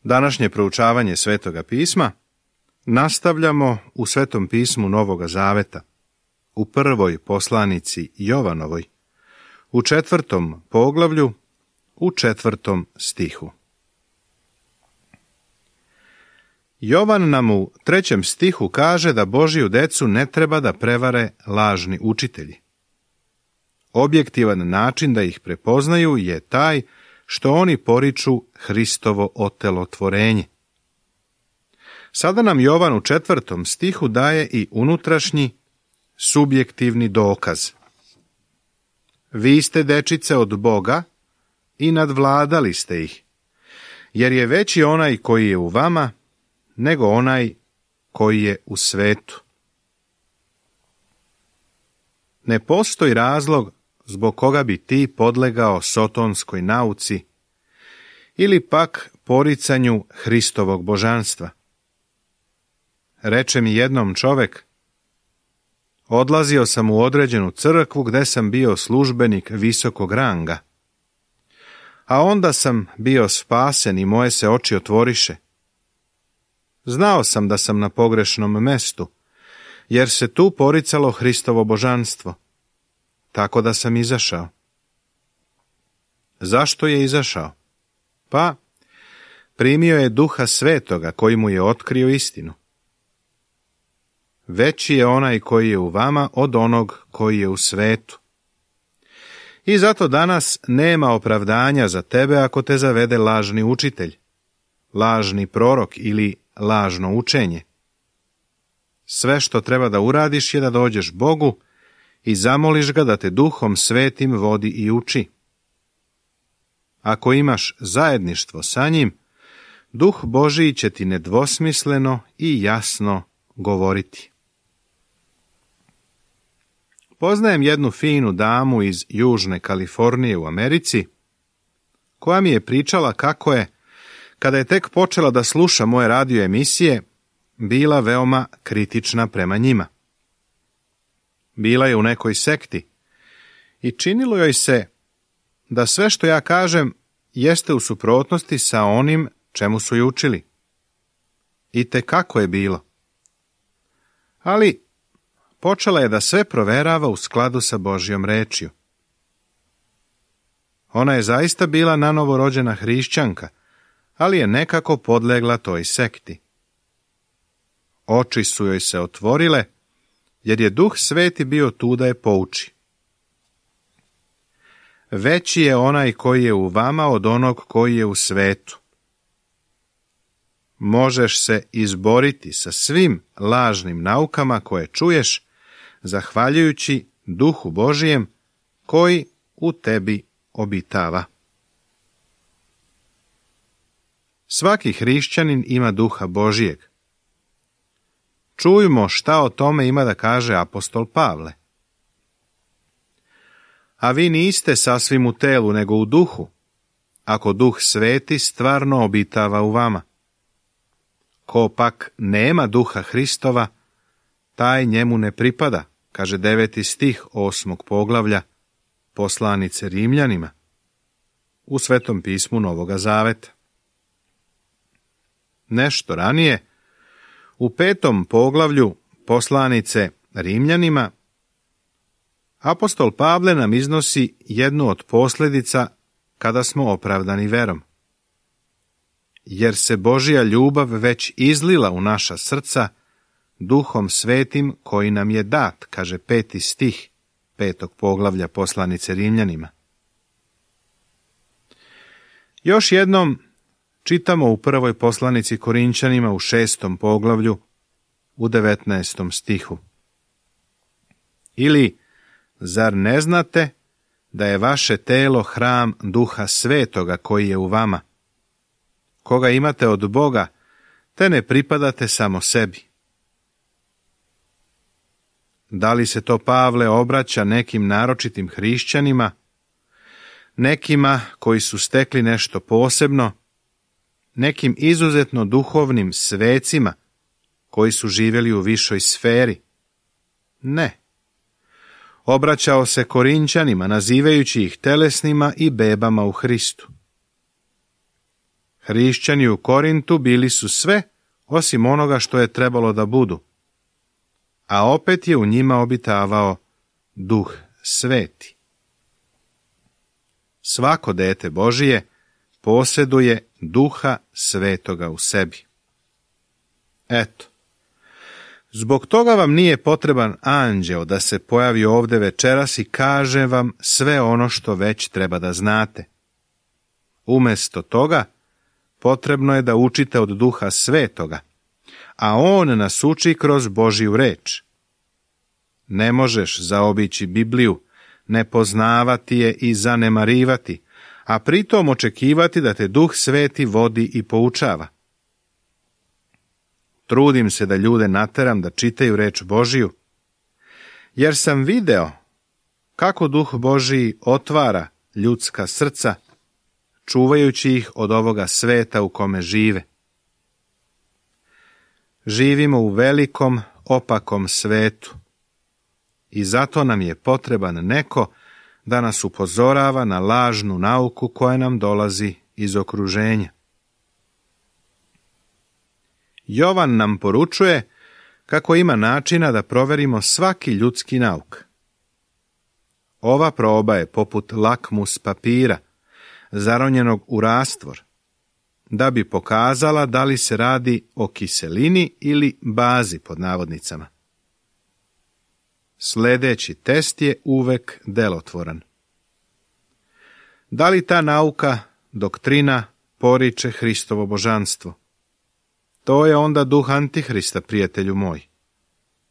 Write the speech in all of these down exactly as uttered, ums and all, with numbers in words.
Današnje proučavanje Svetoga pisma nastavljamo u Svetom pismu Novoga Zaveta, u prvoj poslanici Jovanovoj, u četvrtom poglavlju, u četvrtom stihu. Jovan nam u trećem stihu kaže da Božju decu ne treba da prevare lažni učitelji. Objektivan način da ih prepoznaju je taj što oni poriču Hristovo otelotvorenje. Sada nam Jovan u četvrtom stihu daje i unutrašnji, subjektivni dokaz. Vi ste dečice od Boga i nadvladali ste ih, jer je veći onaj koji je u vama nego onaj koji je u svetu. Ne postoji razlog zbog koga bi ti podlegao sotonskoj nauci ili pak poricanju Hristovog božanstva. Reče mi jednom čovek, odlazio sam u određenu crkvu gde sam bio službenik visokog ranga, a onda sam bio spasen i moje se oči otvoriše. Znao sam da sam na pogrešnom mestu, jer se tu poricalo Hristovo božanstvo, tako da sam izašao. Zašto je izašao? Pa, primio je Duha Svetoga koji mu je otkrio istinu. Veći je onaj koji je u vama od onog koji je u svetu. I zato danas nema opravdanja za tebe ako te zavede lažni učitelj, lažni prorok ili lažno učenje. Sve što treba da uradiš je da dođeš Bogu i zamoliš ga da te Duhom Svetim vodi i uči. Ako imaš zajedništvo sa njim, Duh Božiji će ti nedvosmisleno i jasno govoriti. Poznajem jednu finu damu iz Južne Kalifornije u Americi, koja mi je pričala kako je, kada je tek počela da sluša moje radio emisije, bila veoma kritična prema njima. Bila je u nekoj sekti i činilo joj se da sve što ja kažem jeste u suprotnosti sa onim čemu su je učili. I tekako je bilo. Ali počela je da sve proverava u skladu sa Božjom rečju. Ona je zaista bila nanovo rođena hrišćanka, ali je nekako podlegla toj sekti. Oči su joj se otvorile, jer je Duh Sveti bio tu da je pouči. Veći je onaj koji je u vama od onog koji je u svetu. Možeš se izboriti sa svim lažnim naukama koje čuješ, zahvaljujući Duhu Božijem koji u tebi obitava. Svaki hrišćanin ima Duha Božijeg. Čujmo šta o tome ima da kaže apostol Pavle. A vi niste sasvim u telu, nego u duhu, ako Duh Sveti stvarno obitava u vama. Ko pak nema Duha Hristova, taj njemu ne pripada, kaže deveti stih osmog poglavlja poslanice Rimljanima u Svetom pismu Novoga Zaveta. Nešto ranije, u petom poglavlju poslanice Rimljanima, apostol Pavle nam iznosi jednu od posljedica kada smo opravdani verom. Jer se Božja ljubav već izlila u naša srca Duhom Svetim koji nam je dat, kaže peti stih petog poglavlja poslanice Rimljanima. Još jednom čitamo u prvoj poslanici Korinčanima u šestom poglavlju u devetnaestom stihu. Ili, zar ne znate da je vaše telo hram Duha Svetoga koji je u vama, koga imate od Boga, te ne pripadate samo sebi? Da li se to Pavle obraća nekim naročitim hrišćanima, nekima koji su stekli nešto posebno, nekim izuzetno duhovnim svecima koji su živjeli u višoj sferi? Ne. Obraćao se Korinčanima, nazivajući ih telesnima i bebama u Hristu. Hrišćani u Korintu bili su sve osim onoga što je trebalo da budu, a opet je u njima obitavao Duh Sveti. Svako dete Božije posjeduje Duha Svetoga u sebi. Eto, zbog toga vam nije potreban anđeo da se pojavi ovdje večeras i kaže vam sve ono što već treba da znate. Umjesto toga, potrebno je da učite od Duha Svetoga, a on nas uči kroz Božju reč. Ne možeš zaobići Bibliju, ne poznavati je i zanemarivati, a pritom očekivati da te Duh Sveti vodi i poučava. Trudim se da ljude nateram da čitaju reč Božiju, jer sam video kako Duh Božiji otvara ljudska srca, čuvajući ih od ovoga sveta u kome žive. Živimo u velikom, opakom svetu i zato nam je potreban neko da nas upozorava na lažnu nauku koja nam dolazi iz okruženja. Jovan nam poručuje kako ima načina da proverimo svaki ljudski nauk. Ova proba je poput lakmus papira, zaronjenog u rastvor, da bi pokazala da li se radi o kiselini ili bazi pod navodnicama. Sljedeći test je uvek delotvoran. Da li ta nauka, doktrina, poriče Hristovo božanstvo? To je onda duh Antihrista, prijatelju moj.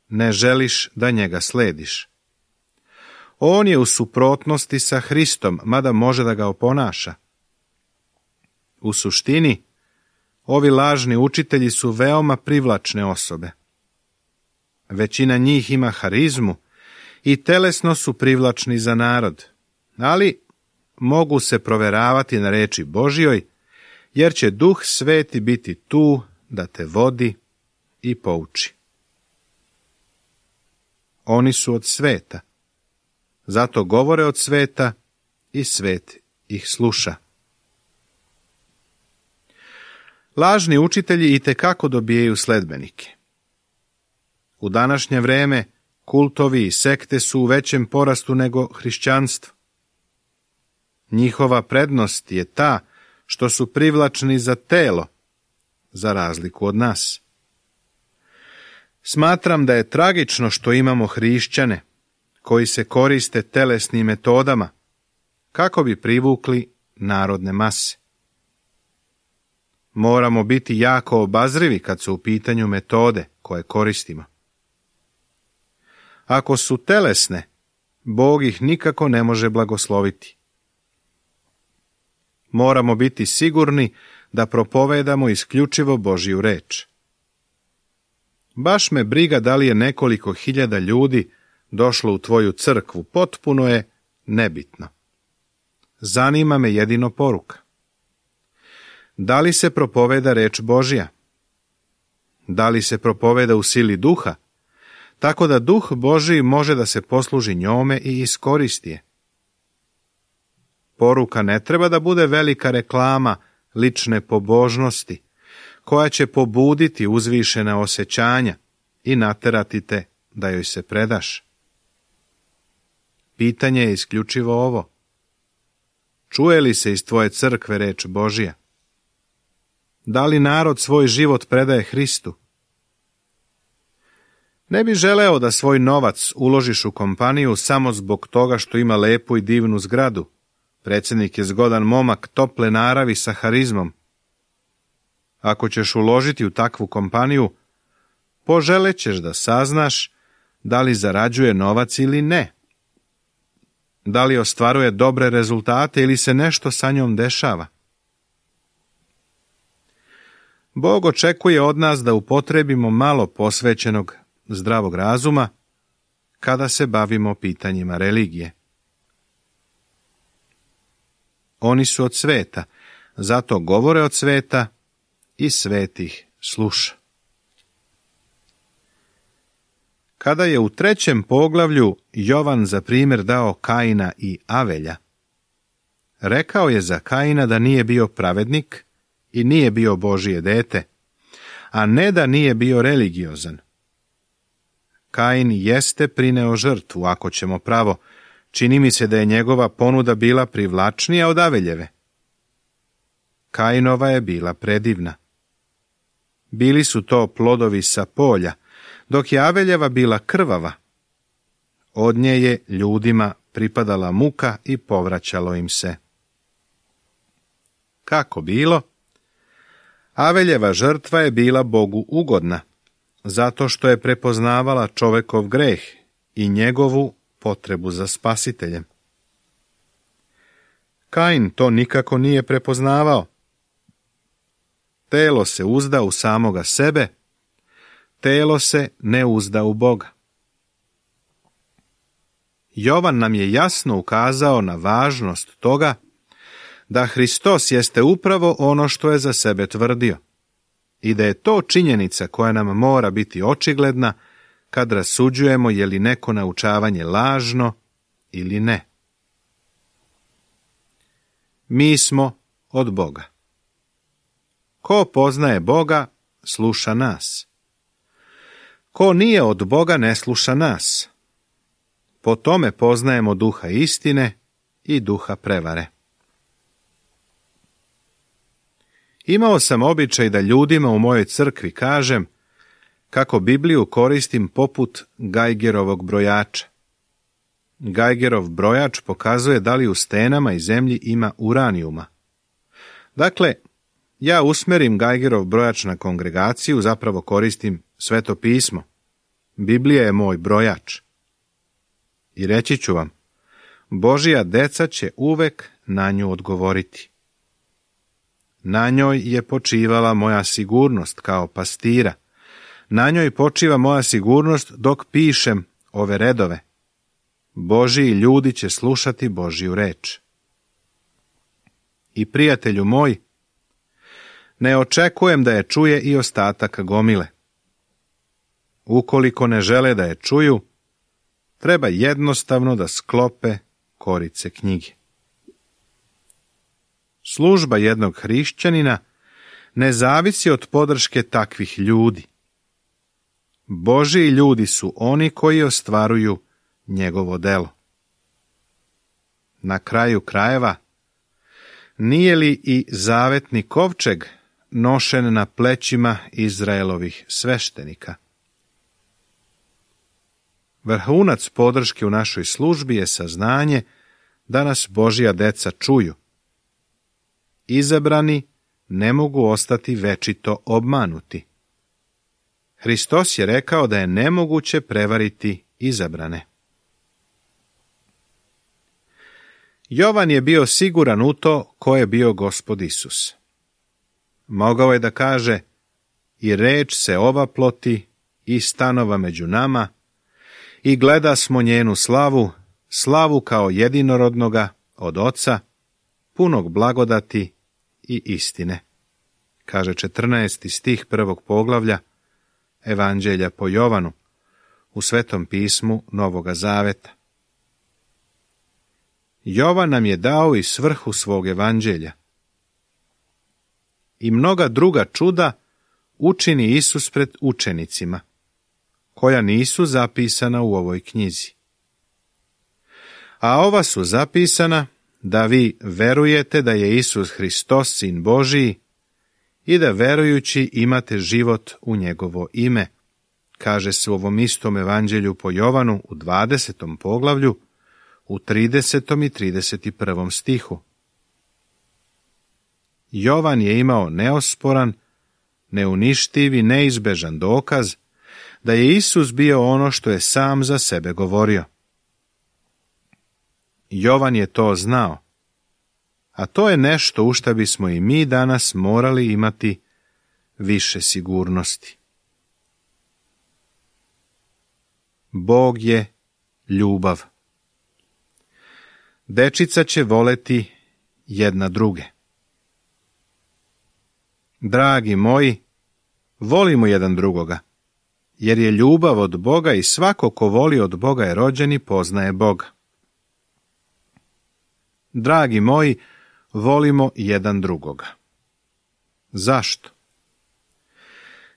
Ne želiš da njega slediš. On je u suprotnosti sa Hristom, mada može da ga oponaša. U suštini, ovi lažni učitelji su veoma privlačne osobe. Većina njih ima harizmu i telesno su privlačni za narod, ali mogu se proveravati na reči Božjoj, jer će Duh Sveti biti tu da te vodi i pouči. Oni su od sveta, zato govore od sveta i svet ih sluša. Lažni učitelji itekako dobijaju sledbenike. U današnje vreme kultovi i sekte su u većem porastu nego hrišćanstvo. Njihova prednost je ta što su privlačni za telo, za razliku od nas. Smatram da je tragično što imamo hrišćane koji se koriste telesnim metodama kako bi privukli narodne mase. Moramo biti jako obazrivi kad su u pitanju metode koje koristimo. Ako su telesne, Bog ih nikako ne može blagosloviti. Moramo biti sigurni da propovedamo isključivo Božju reč. Baš me briga da li je nekoliko hiljada ljudi došlo u tvoju crkvu, potpuno je nebitno. Zanima me jedino poruka. Da li se propoveda reč Božja? Da li se propoveda u sili duha, tako da Duh Božji može da se posluži njome i iskoristi je? Poruka ne treba da bude velika reklama lične pobožnosti, koja će pobuditi uzvišena osjećanja i naterati te da joj se predaš. Pitanje je isključivo ovo. Čuje li se iz tvoje crkve reč Božja? Da li narod svoj život predaje Hristu? Ne bi želeo da svoj novac uložiš u kompaniju samo zbog toga što ima lepu i divnu zgradu. Predsjednik je zgodan momak tople naravi sa harizmom. Ako ćeš uložiti u takvu kompaniju, poželećeš da saznaš da li zarađuje novac ili ne. Da li ostvaruje dobre rezultate ili se nešto sa njom dešava. Bog očekuje od nas da upotrebimo malo posvećenog zdravog razuma kada se bavimo pitanjima religije. Oni su od sveta, zato govore od sveta i svet ih sluša. Kada je u trećem poglavlju Jovan za primjer dao Kaina i Avelja, rekao je za Kaina da nije bio pravednik i nije bio Božije dete, a ne da nije bio religiozan. Kain jeste prineo žrtvu, ako ćemo pravo, čini mi se da je njegova ponuda bila privlačnija od Aveljeve. Kainova je bila predivna. Bili su to plodovi sa polja, dok je Aveljeva bila krvava. Od nje je ljudima pripadala muka i povraćalo im se. Kako bilo? Aveljeva žrtva je bila Bogu ugodna, zato što je prepoznavala čovekov greh i njegovu potrebu za spasiteljem. Kain to nikako nije prepoznavao. Telo se uzda u samoga sebe, telo se ne uzda u Boga. Jovan nam je jasno ukazao na važnost toga da Hristos jeste upravo ono što je za sebe tvrdio i da je to činjenica koja nam mora biti očigledna kad rasuđujemo je li neko naučavanje lažno ili ne. Mi smo od Boga. Ko poznaje Boga, sluša nas. Ko nije od Boga, ne sluša nas. Po tome poznajemo duha istine i duha prevare. Imao sam običaj da ljudima u mojoj crkvi kažem kako Bibliju koristim poput Geigerovog brojača. Geigerov brojač pokazuje da li u stenama i zemlji ima uranijuma. Dakle, ja usmerim Geigerov brojač na kongregaciju, zapravo koristim Sveto pismo. Biblija je moj brojač. I reći ću vam, Božija deca će uvek na nju odgovoriti. Na njoj je počivala moja sigurnost kao pastira. Na njoj počiva moja sigurnost dok pišem ove redove. Božiji ljudi će slušati Božju reč. I prijatelju moj, ne očekujem da je čuje i ostatak gomile. Ukoliko ne žele da je čuju, treba jednostavno da sklope korice knjige. Služba jednog hrišćanina ne zavisi od podrške takvih ljudi. Božiji ljudi su oni koji ostvaruju njegovo delo. Na kraju krajeva, nije li i zavetni kovčeg nošen na plećima Izraelovih sveštenika? Vrhunac podrške u našoj službi je saznanje da nas Božja deca čuju. Izabrani ne mogu ostati večito obmanuti. Hristos je rekao da je nemoguće prevariti izabrane. Jovan je bio siguran u to ko je bio Gospod Isus. Mogao je da kaže, i reč se ovaploti i stanova među nama, i gleda smo njenu slavu, slavu kao jedinorodnoga od Oca, punog blagodati i istine. Kaže četrnaesti stih prvog poglavlja Evanđelja po Jovanu u Svetom pismu Novoga Zaveta. Jovan nam je dao i svrhu svog evanđelja. I mnoga druga čuda učini Isus pred učenicima, koja nisu zapisana u ovoj knjizi. A ova su zapisana da vi verujete da je Isus Hristos, Sin Božiji, i da verujući imate život u njegovo ime, kaže se u ovom istom evanđelju po Jovanu u dvadesetom poglavlju, u tridesetom i trideset prvom stihu. Jovan je imao neosporan, neuništiv i neizbežan dokaz da je Isus bio ono što je sam za sebe govorio. Jovan je to znao, a to je nešto u šta bismo i mi danas morali imati više sigurnosti. Bog je ljubav. Dečica će voleti jedna druge. Dragi moji, volimo jedan drugoga, jer je ljubav od Boga i svako ko voli od Boga je rođen i poznaje Boga. Dragi moji, volimo jedan drugoga. Zašto?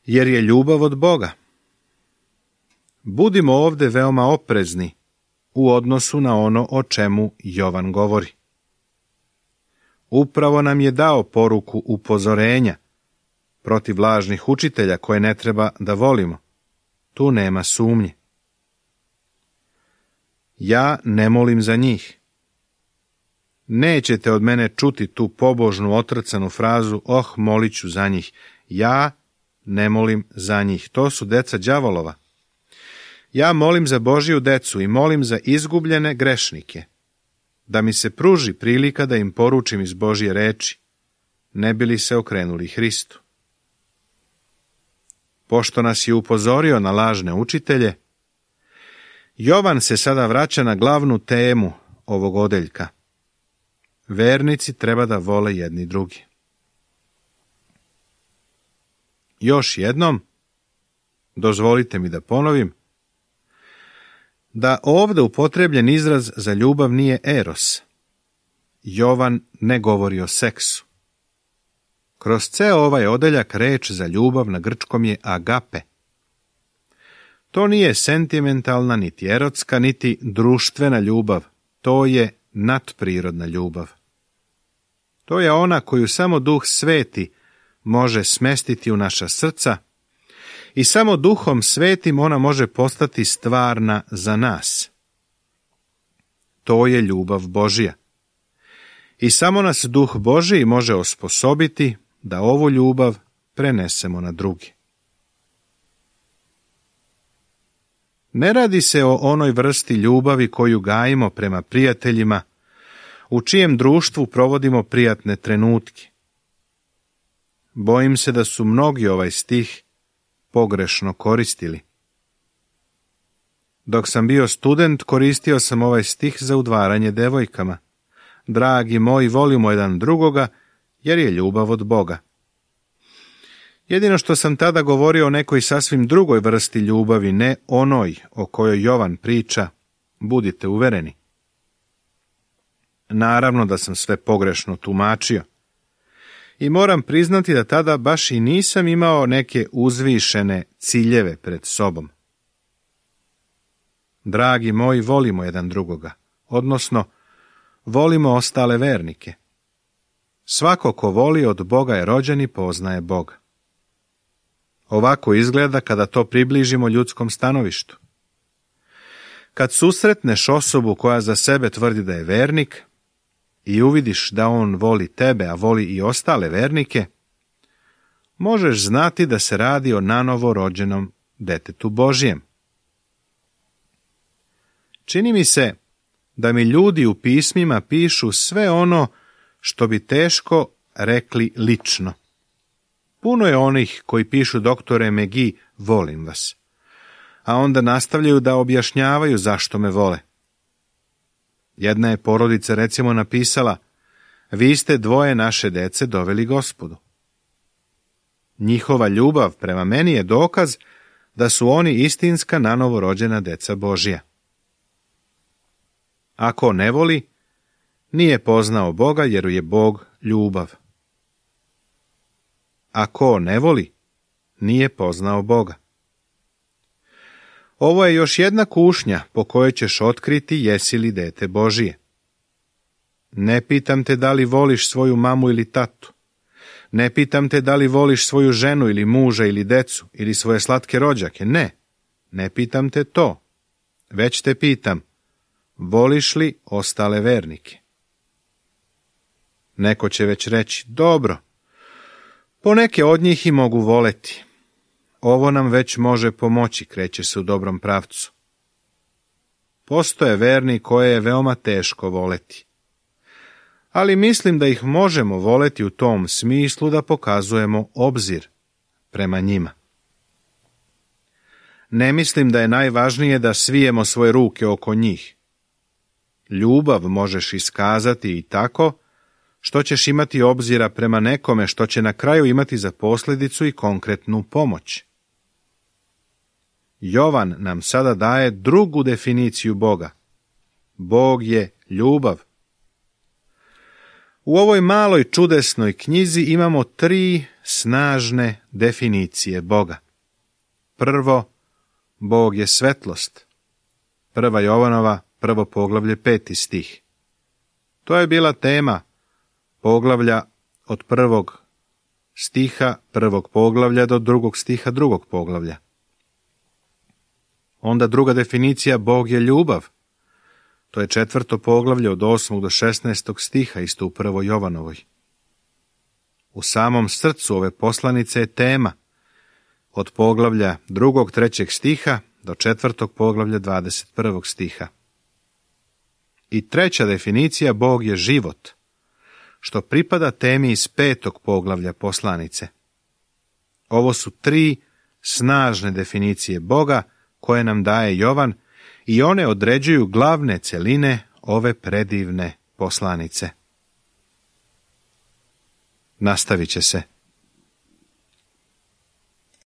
Jer je ljubav od Boga. Budimo ovdje veoma oprezni u odnosu na ono o čemu Jovan govori. Upravo nam je dao poruku upozorenja protiv lažnih učitelja koje ne treba da volimo. Tu nema sumnje. Ja ne molim za njih. Nećete od mene čuti tu pobožnu otrcanu frazu, oh, molit ću za njih. Ja ne molim za njih. To su deca đavolova. Ja molim za Božiju decu i molim za izgubljene grešnike, da mi se pruži prilika da im poručim iz Božje reči, ne bi li se okrenuli Hristu. Pošto nas je upozorio na lažne učitelje, Jovan se sada vraća na glavnu temu ovog odeljka. Vernici treba da vole jedni drugi. Još jednom, dozvolite mi da ponovim, da ovdje upotrebljen izraz za ljubav nije eros. Jovan ne govori o seksu. Kroz ceo ovaj odeljak reč za ljubav na grčkom je agape. To nije sentimentalna, niti erotska, niti društvena ljubav. To je nadprirodna ljubav. To je ona koju samo Duh Sveti može smestiti u naša srca i samo Duhom Svetim ona može postati stvarna za nas. To je ljubav Božja. I samo nas Duh Božji može osposobiti da ovu ljubav prenesemo na druge. Ne radi se o onoj vrsti ljubavi koju gajimo prema prijateljima, u čijem društvu provodimo prijatne trenutke. Bojim se da su mnogi ovaj stih pogrešno koristili. Dok sam bio student, koristio sam ovaj stih za udvaranje devojkama. Dragi moji, volimo jedan drugoga, jer je ljubav od Boga. Jedino što sam tada govorio o nekoj sasvim drugoj vrsti ljubavi, ne onoj o kojoj Jovan priča, budite uvereni. Naravno da sam sve pogrešno tumačio. I moram priznati da tada baš i nisam imao neke uzvišene ciljeve pred sobom. Dragi moji, volimo jedan drugoga, odnosno volimo ostale vernike. Svako ko voli od Boga je rođen i poznaje Boga. Ovako izgleda kada to približimo ljudskom stanovištu. Kad susretneš osobu koja za sebe tvrdi da je vernik i uvidiš da on voli tebe, a voli i ostale vernike, možeš znati da se radi o nanovo rođenom detetu Božjem. Čini mi se da mi ljudi u pismima pišu sve ono što bi teško rekli lično. Puno je onih koji pišu doktore Megi, volim vas, a onda nastavljaju da objašnjavaju zašto me vole. Jedna je porodica recimo napisala, vi ste dvoje naše dece doveli Gospodu. Njihova ljubav prema meni je dokaz da su oni istinska nanovo rođena deca Božja. Ako ne voli, nije poznao Boga jer je Bog ljubav. Ako ne voli, nije poznao Boga. Ovo je još jedna kušnja po kojoj ćeš otkriti jesi li dete Božije. Ne pitam te da li voliš svoju mamu ili tatu. Ne pitam te da li voliš svoju ženu ili muža ili decu ili svoje slatke rođake. Ne, ne pitam te to. Već te pitam, voliš li ostale vernike? Neko će već reći, dobro, poneke od njih i mogu voleti. Ovo nam već može pomoći, kreće se u dobrom pravcu. Postoje verni koje je veoma teško voleti. Ali mislim da ih možemo voleti u tom smislu da pokazujemo obzir prema njima. Ne mislim da je najvažnije da svijemo svoje ruke oko njih. Ljubav možeš iskazati i tako što ćeš imati obzira prema nekome što će na kraju imati za posljedicu i konkretnu pomoć. Jovan nam sada daje drugu definiciju Boga. Bog je ljubav. U ovoj maloj čudesnoj knjizi imamo tri snažne definicije Boga. Prvo, Bog je svetlost. Prva Jovanova, prvo poglavlje, peti stih. To je bila tema poglavlja od prvog stiha prvog poglavlja do drugog stiha drugog poglavlja. Onda druga definicija, Bog je ljubav. To je četvrto poglavlje od osmog do šesnaestog stiha, isto u prvoj Jovanovoj. U samom srcu ove poslanice je tema od poglavlja drugog, trećeg stiha do četvrtog poglavlja dvadeset prvog stiha. I treća definicija, Bog je život, što pripada temi iz petog poglavlja poslanice. Ovo su tri snažne definicije Boga koje nam daje Jovan i one određuju glavne celine ove predivne poslanice. Nastavit će se